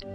A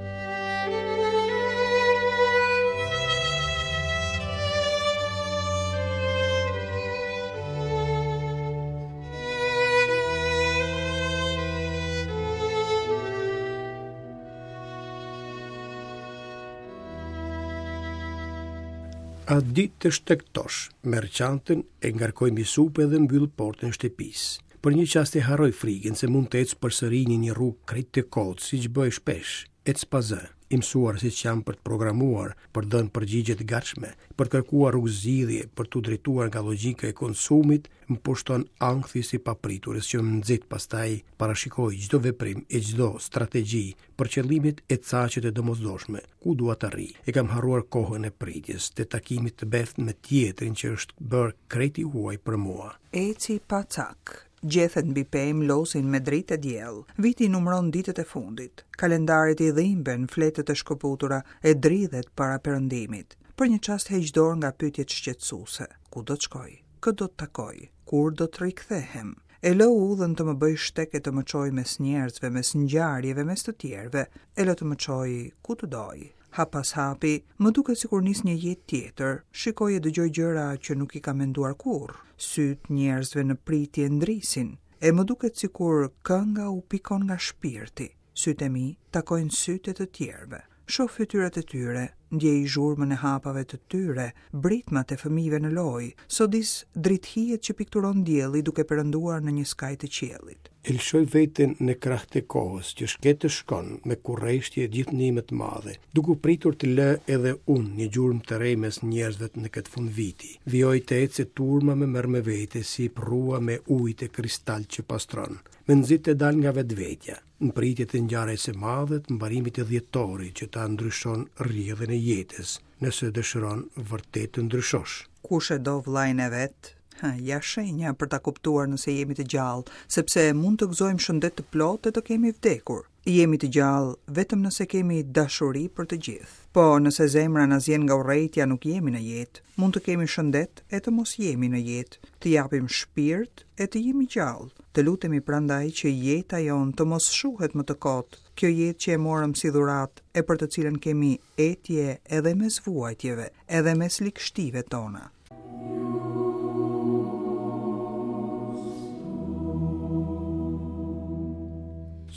di të shtegtosh, merr çantën, e ngarkoj mbi supe dhe mbyll portën e shtëpisë. Për një çast e harroj frikën se mund të ec përsëri në një rrugë krejt të kotë, siç bëj shpesh. Ec pa zë, i mësuar siç jam për të programuar, për të dhënë përgjigje të gatshme, për të kërkuar rrugëzgjidhje, për t'u drejtuar nga logjika e konsumit, më pushton ankthi i së papriturës që më nxit pastaj parashikoj çdo veprim e çdo strategji për qëllimet e caqet e domosdoshme, ku dua të arrij. E kam harruar kohën e pritjes, të takimit të beftë me tjetrin që është bërë krejt i huaj për mua. Eci pa cak. Gjethet mbi pemë lozin me dritë e diell. Viti numëron ditët e fundit. Kalendarit i dhimben fletët e shkëputura e dridhet para perëndimit. Për një çast heq dorë nga pyetjet shqetësuese. Ku do të shkoj? Kë do të takoj? Kur do të rikthehem? E lë udhën të më bëjë shteg e të më çojë mes njerëzve, mes ngjarjeve, mes të tjerëve. E lë të më çojë ku të dojë. Hap pas hapi, më duket sikur nis një jetë tjetër. Shikoj e dëgjoj gjëra që nuk i kam menduar kurrë. Sytë njerëzve në pritje ndrisin. E më duket sikur kënga u pikon nga shpirti. Sytë e mi takojnë sytë e të tjerëve. Shoh fytyrat e tyre, ndjej zhurmën e hapave të tyre, britmat e fëmijëve në lojë, sodis dritëhijet që pikturon dielli duke perënduar në një skaj të qiellit. E lëshoj veten në krah të kohës, që shket e shkon me kureshtje gjithnjë më të madhe, duke pritur të lë edhe unë një gjurmë të re mes njerëzve në këtë fundviti. Vijoj të ec e turma më merr me vete si përrua me ujë të kristaltë që pastron. Më nxit të dal nga vetvetja. Në pritje të ngjarjes së madhe të mbarimit të dhjetorit që ta ndryshon rrjedhën e jetës, nëse dëshiron vërtet të ndryshosh. Kush e do vëllain e vet, hë, ja shenja për ta kuptuar nëse jemi të gjallë, sepse mund të gëzojmë shëndet të plotë e të kemi vdekur. Jemi të gjallë vetëm nëse kemi dashuri për të gjithë. Po, nëse zemra na zien nga urrejtja nuk jemi në jetë. Mund të kemi shëndet e të mos jemi në jetë, të japim shpirt e të jemi gjallë. Të lutemi prandaj që jeta jonë të mos shuhet më të kotë, kjo jetë që e morëm si dhuratë e për të cilën kemi etje edhe mes vuajtjeve, edhe mes ligështive tona.